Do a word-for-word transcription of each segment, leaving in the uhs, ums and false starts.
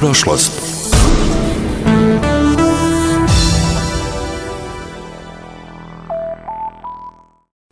prošlost.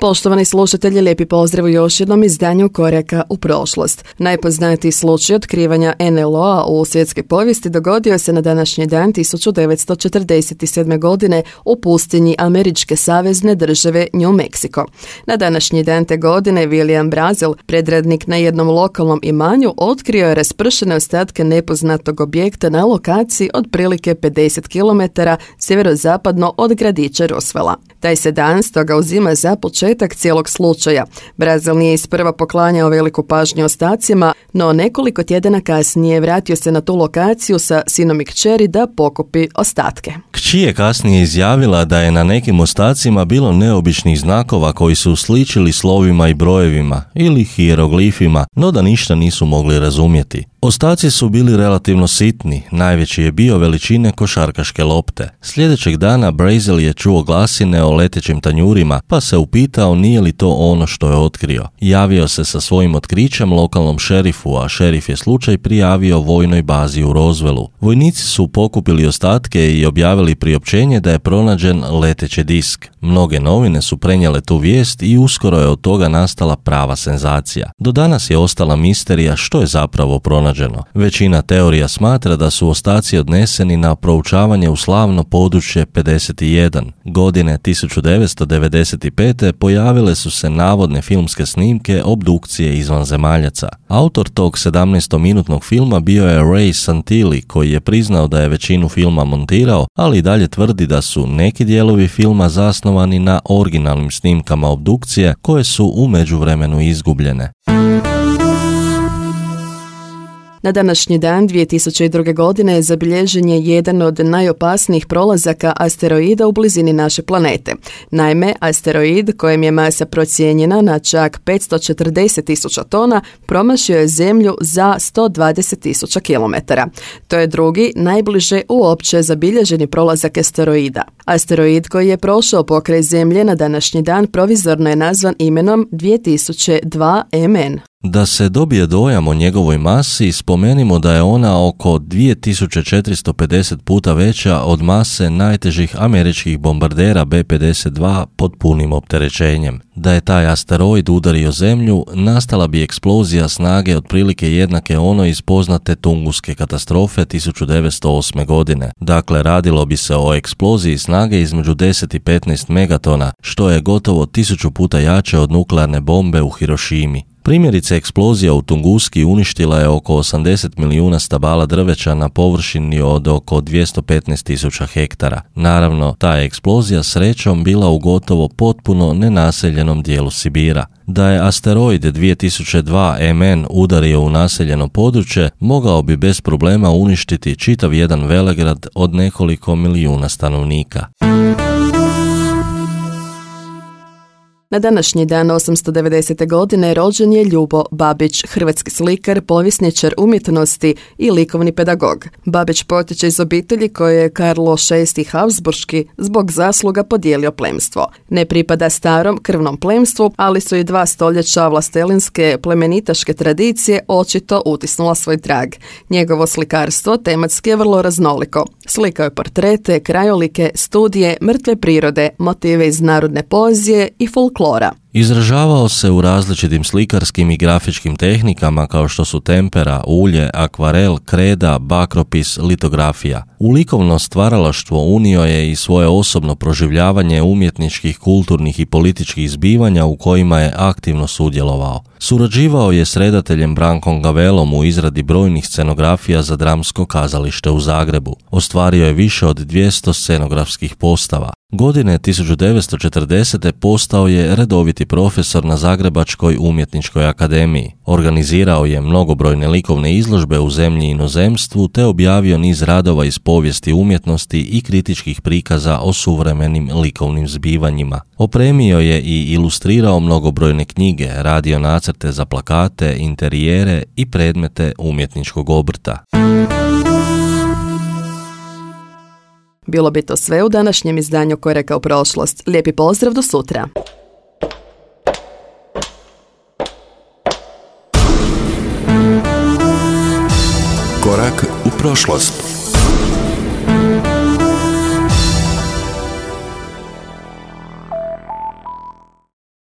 Poštovani slušatelji, lijepi pozdrav u još jednom izdanju Koraka u prošlost. Najpoznatiji slučaj otkrivanja en el o-a u svjetskoj povijesti dogodio se na današnji dan tisuću devetsto četrdeset sedme. godine u pustinji američke savezne države New Mexico. Na današnji dan te godine William Brazil, predradnik na jednom lokalnom imanju, otkrio je raspršene ostatke nepoznatog objekta na lokaciji otprilike pedeset kilometara sjeverozapadno od gradića Roswella. Taj se dan stoga uzima za početak cijelog slučaja. Brazil nije isprva poklanjao veliku pažnju ostacima, no nekoliko tjedana kasnije vratio se na tu lokaciju sa sinom i kćeri da pokupi ostatke. Kći je kasnije izjavila da je na nekim ostacima bilo neobičnih znakova koji su sličili slovima i brojevima ili hijeroglifima, no da ništa nisu mogli razumjeti. Ostaci su bili relativno sitni, najveći je bio veličine košarkaške lopte. Sljedećeg dana Brazil je čuo glasine o letećim tanjurima, pa se upitao nije li to ono što je otkrio. Javio se sa svojim otkrićem lokalnom šerifu, a šerif je slučaj prijavio vojnoj bazi u Roswellu. Vojnici su pokupili ostatke i objavili priopćenje da je pronađen leteći disk. Mnoge novine su prenijele tu vijest i uskoro je od toga nastala prava senzacija. Do danas je ostala misterija što je zapravo pronađeno. Većina teorija smatra da su ostaci odneseni na proučavanje u slavno područje pedeset jedan. Godine tisuću devetsto devedeset pete. pojavile su se navodne filmske snimke obdukcije izvanzemaljaca. Autor tog sedamnaestominutnog filma bio je Ray Santilli, koji je priznao da je većinu filma montirao, ali i dalje tvrdi da su neki dijelovi filma zasnovani na originalnim snimkama obdukcije koje su u međuvremenu izgubljene. Na današnji dan dvije tisuće druge. godine zabilježen je jedan od najopasnijih prolazaka asteroida u blizini naše planete. Naime, asteroid kojem je masa procijenjena na čak petsto četrdeset tisuća tona promašio je Zemlju za sto dvadeset tisuća kilometara. To je drugi, najbliže uopće zabilježeni prolazak asteroida. Asteroid koji je prošao pokraj Zemlje na današnji dan provizorno je nazvan imenom dvije tisuće dva em en. Da se dobije dojam o njegovoj masi, spomenimo da je ona oko dvije tisuće četiristo pedeset puta veća od mase najtežih američkih bombardera be pedeset dva pod punim opterećenjem. Da je taj asteroid udario Zemlju, nastala bi eksplozija snage otprilike jednake onoj iz poznate Tunguske katastrofe tisuću devetsto osme. godine. Dakle, radilo bi se o eksploziji snage između deset i petnaest megatona, što je gotovo tisuću puta jače od nuklearne bombe u Hirošimi. Primjerice, eksplozija u Tunguski uništila je oko osamdeset milijuna stabala drveća na površini od oko dvjesto petnaest tisuća hektara. Naravno, ta je eksplozija srećom bila u gotovo potpuno nenaseljenom dijelu Sibira. Da je asteroid dvije tisuće dva em en udario u naseljeno područje, mogao bi bez problema uništiti čitav jedan velegrad od nekoliko milijuna stanovnika. Na današnji dan osamsto devedesete. godine rođen je Ljubo Babić, hrvatski slikar, povjesničar umjetnosti i likovni pedagog. Babić potječe iz obitelji koje je Karlo šesti. Habsburški zbog zasluga podijelio plemstvo. Ne pripada starom krvnom plemstvu, ali su i dva stoljeća vlastelinske plemenitaške tradicije očito utisnula svoj trag. Njegovo slikarstvo tematski je vrlo raznoliko. Slikao je portrete, krajolike, studije, mrtve prirode, motive iz narodne poezije i folklora. Izražavao se u različitim slikarskim i grafičkim tehnikama kao što su tempera, ulje, akvarel, kreda, bakropis, litografija. U likovno stvaralaštvo unio je i svoje osobno proživljavanje umjetničkih, kulturnih i političkih zbivanja u kojima je aktivno sudjelovao. Surađivao je s redateljem Brankom Gavelom u izradi brojnih scenografija za dramsko kazalište u Zagrebu. Ostvario je više od dvjesto scenografskih postava. Godine tisuću devetsto četrdesete. postao je redoviti profesor na Zagrebačkoj umjetničkoj akademiji. Organizirao je mnogobrojne likovne izložbe u zemlji i inozemstvu te objavio niz radova iz povijesti umjetnosti i kritičkih prikaza o suvremenim likovnim zbivanjima. Opremio je i ilustrirao mnogobrojne knjige, radio nacrte za plakate, interijere i predmete umjetničkog obrta. Bilo bi to sve u današnjem izdanju Koraka u prošlost. Lijepi pozdrav, do sutra. Korak u prošlost.